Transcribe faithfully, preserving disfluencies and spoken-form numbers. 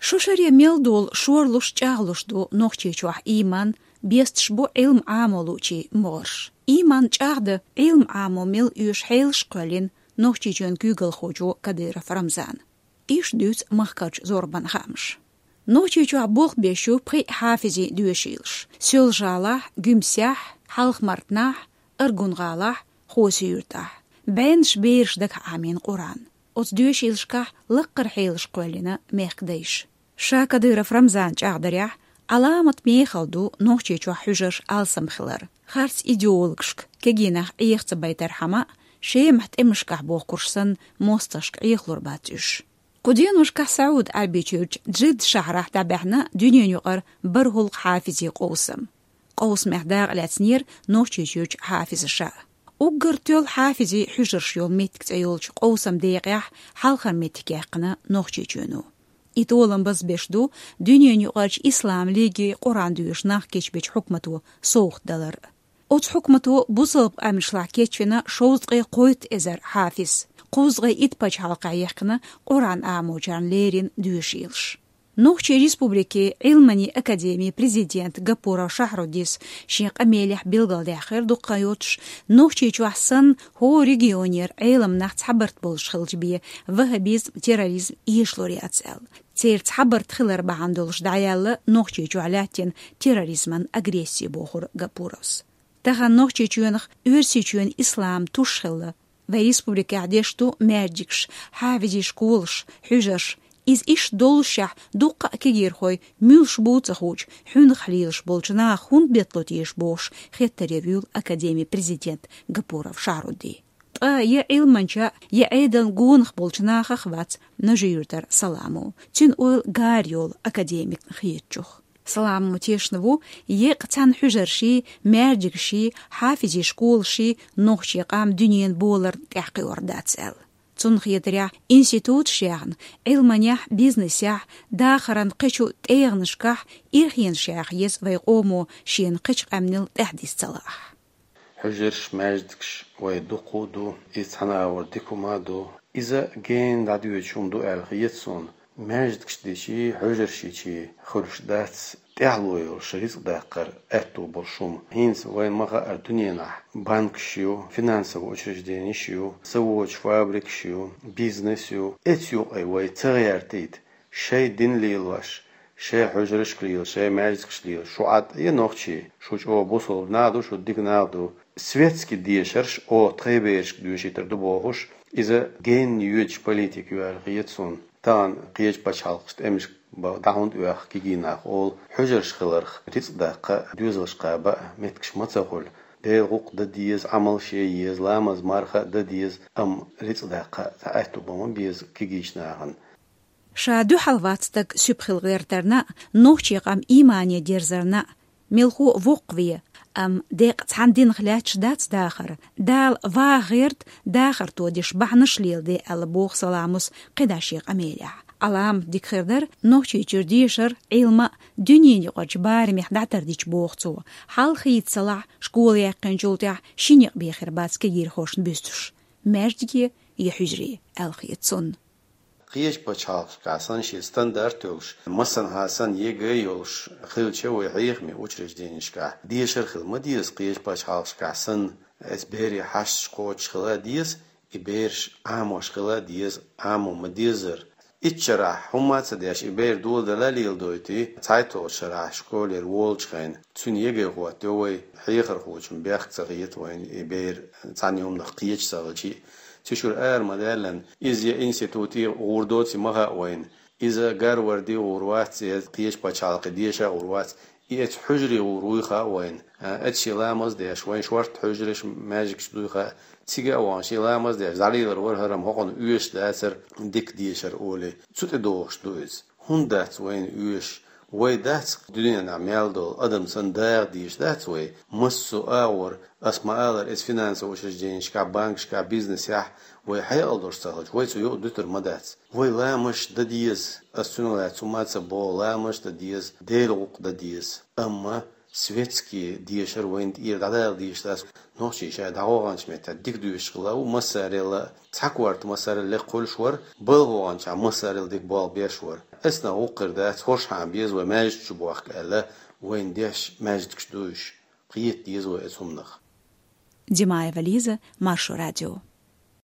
Шо шаре мел долу шорлуш, чӀагӀлуш ду Нохчийчохь ийман, бесташ бу Ӏилма Ӏамо луучийн могӀарш. Ийман чӀагӀдан, Ӏилма Ӏамо мел оьшу хьелаш кхоьллина Нохчийчоьнан куьйгалхочо Кадыров Рамзана. Иштта дуьйцу махкарчу зорбанан хаамаша. Нохчийчохь болх беш ю пхи хьафизийн доьшийлаш: Соьлжа-ГӀалахь, Гуьмсехь, Хьалха-Мартанахь, Аргун-ГӀалахь, Хоси-Юьртахь. БӀеннаш бераш дагахь Ӏамийна Къуръан. Оцу доьшийлашкахь лаккхара хьелаш кхоьллина мехкан дайша. Ша Кадыров Рамзана чӀагӀдарехь, Ӏаламат мехала ду Нохчийчохь хьуьжарш алсам хилар. Харц идеологашка, кегий нах Ӏеха ца байтархьама, Шемахь тӀемашкахь бохкурш санна, мостагӀашка Ӏехалур бац уьш. Кху деношкахь СаӀуд-Ӏаьрбийчуьрчу Джидда шахьарахь дӀабаьхьна дуьненаюкъара бархӀалгӀа хьафизийн къовсам. Къовсамехь дакъа лаьцнера Нохчийчуьрчу хьафизаша. Уггар тоьлла хьафизийн хьуьжарш йолу меттиг цӀе йолчу къовсаман декъехь хьалхара меттиг яьккхина Нохчийчоьно. И толам базбеш ду дуьненаюкъарчу Исламан лиге Къуръан доьшу нах кечбечу хьукмато совгӀат далар. Оцу хьукмато бусалба къаьмнашлахь кечвина шовзткъе кхойтта эзар хьафиз, кхузткъе итт пачхьалкхехь яьккхина Къуръан Ӏамочарна леррина доьшийлаш. Нохчийн Республикин Ӏилманийн академин президента Гапуров Шахьруддина шен къамелехь билгалдаьккхира, дукха хан йоцуш Нохчийчохь санна, хӀора регионера Ӏеламнах цхьабарт болуш хилча бен, ваххабизм, терроризм эшалур яц аьлла. Церан цхьабарт хилар бахьана долуш дӀаяьлла Нохчийчохь лаьттина терроризман агресси, бохура Гапуровс. Тахана Нохчийчоьнах Оьрсийчоьнан ислам туш хилла. Вайн республикехь деш ду маьждигаш, хьафизийн школаш, хьуьжарш. Иза иштта доллушехь, дуккха а кегийрхой, муьлш бу а ца хуучу, хьуьнах лелаш болчу наха хӀунда беттало теша бохуш, хеттаре вуьйлу академин президент Гапуров Шахьрудди. Ткъа я Ӏилманча, я Ӏедална гонах болчу нахах вац Нажи-Юьртара Саламо. Цуьнан ойла гара йолу академикна хетачух. Саламо тешна ву, еккъа цхьана хьуьжарший, маьждигаший, хьафизийн школаший нохчийн къам дуьненан боларна тӀехь кхиор дац аьлла. Цунна хетарехь, институташ яьхна, Ӏилманехь, бизнесехь, дахаран кхечу тӀегӀанашкахь ирхенаш яха еза вайн къомо шена кхечу къаьмнел тӀаьхьадиса ца лаахь. Хьуьжарш, маьждигаш вайн дуккха а ду, иза цхьана агӀор дика хӀума а ду. Иза гена дӀадоьдуш хӀума ду аьлла хета суна. Маьждигаш дичий, хьуьжарш йичий хуьлуш дац тӀаьхьало йолуш рицкъ даккхар аьтто болуш хӀума. ХӀинца вайна ма-хаъара дуьненахь банкаш ю, финансовый учрежденеш ю, заводаш, фабрикаш ю, бизнес ю. Эцу юкъе вай ца гӀертийта, шайн дин лелош, шайн хьуьжаршка лела, шайн маьждигаш лела, шу Ӏад а я нохчий, шу чӀогӀа бусалба нах ду, шу дика нах ду. Светский дешарш оха тхайн берашка доьшийтар ду бохуш, иза генна йоьдуш политика ю аьлла хета суна. Тахана кхечу пачхьалкхашка тӀемашка бан дӀа хӀунда оьху кегий нах олу, хьуьжарш хиларх, рицкъ даккха а, доьзалш кхаба а меттигаш ма ца хуьлу. Делан гӀуллакх дан деза, Ӏамал шен еза, ламаз, марха а дан деза, амма рицкъ даккха а цхьа аьтто бан ма беза кегийчу нахана. Ша дуьхьал вац стаг суьпа хила гӀертарна а, нохчийн къам иймане дерзарна а. Мелхо а воккхаве, амма деккъа цхьана динах лаьтташ дац дахар. Дала ваха гӀерта, дахар тодеш бахьанаш леладе аьлла, боху Саламос кхидӀа шен къамелехь. Ӏаламат дика хир дара, Нохчийчуьра дешар, Ӏилма а дуьненаюкъарчу барамехь дӀатардича, боху цо. Хьал хийца ца лахь, школа яьккхинчул тӀаьхьа ши некъ бен хир бац кегийрхошна буьстуш: маьждиге я хьуьжаре, аьлла хета цунна. Кхечу пачхьалкхашкахь санна шен стандарт йолуш, массанхьа санна ЕГЭ йолуш хилча, вай хьехамийн учрежденешкахь дешар хила ма деза, кхечу пачхьалкхашкахь санна, эцу берийн хьашташ кхочуш хила а деза, и бераш Ӏамош хила а деза, Ӏамо ма дезара. Итт шарахь хӀумма а ца деш, и бер доладала а леладойтий, цхьайтталгӀачу шарахь школера волучу хенахь, цуьнан ЕГЭ хӀоттайо вай, хьехархочун бехк ца хета вайна и бер цхьана хӀуманах кхеча ца хилча а. Цу шуьра ара ма-даьллан, иза я институте гӀур доций ма хаьа вайна, иза Гарварде гӀур вац, я кхечу пачхьалкхе деша а гӀур вац, и эцу хьуьжаре гӀур вуй хаьа вайна, а, эцу шен ламаз а деш, вайн шортта хьуьжарш, маьждигаш дуй хаьа, цига а вахана шен ламаз а деш, дӀалелар вара хӀара-м хӀокхунна оьшуш дацара дика дешар олий, цу тӀе догӀуш ду иза. ХӀунда дац вайна оьшуш? Вай дац дуьненахь мел долу адам санна дагӀа дезаш дац вай? Массо а агӀор, ас ма-аллара, эцу финансовый учрежденешкахь, банкашкахь, бизнесехь вай хьекъал долуш ца хилча, вай цу юкъа дуьтур ма дац. Вай ламазаш дан деза, ас цунах лаьцна хӀумма а ца боху, ламазаш дан деза, Делан гӀуллакх дан деза. Амма светский дешар вайна тӀера дӀадала дезаш дац. Нохчий ша дӀагӀоргӀанчу меттехь дика доьшуш хилла ву массарел а, цхьа корта массарел лекха хуьлуш вара, балха вогӀанчохь массарел дика болх беш вара. Эсна гӀуккхир дац, хӀорш хьан беза вай маьждиг чу бохка аьлла, вайн деш маьждигаш дуйш, кхета деза вай эцу хӀуманах. Димаева Лиза, Маршо радио.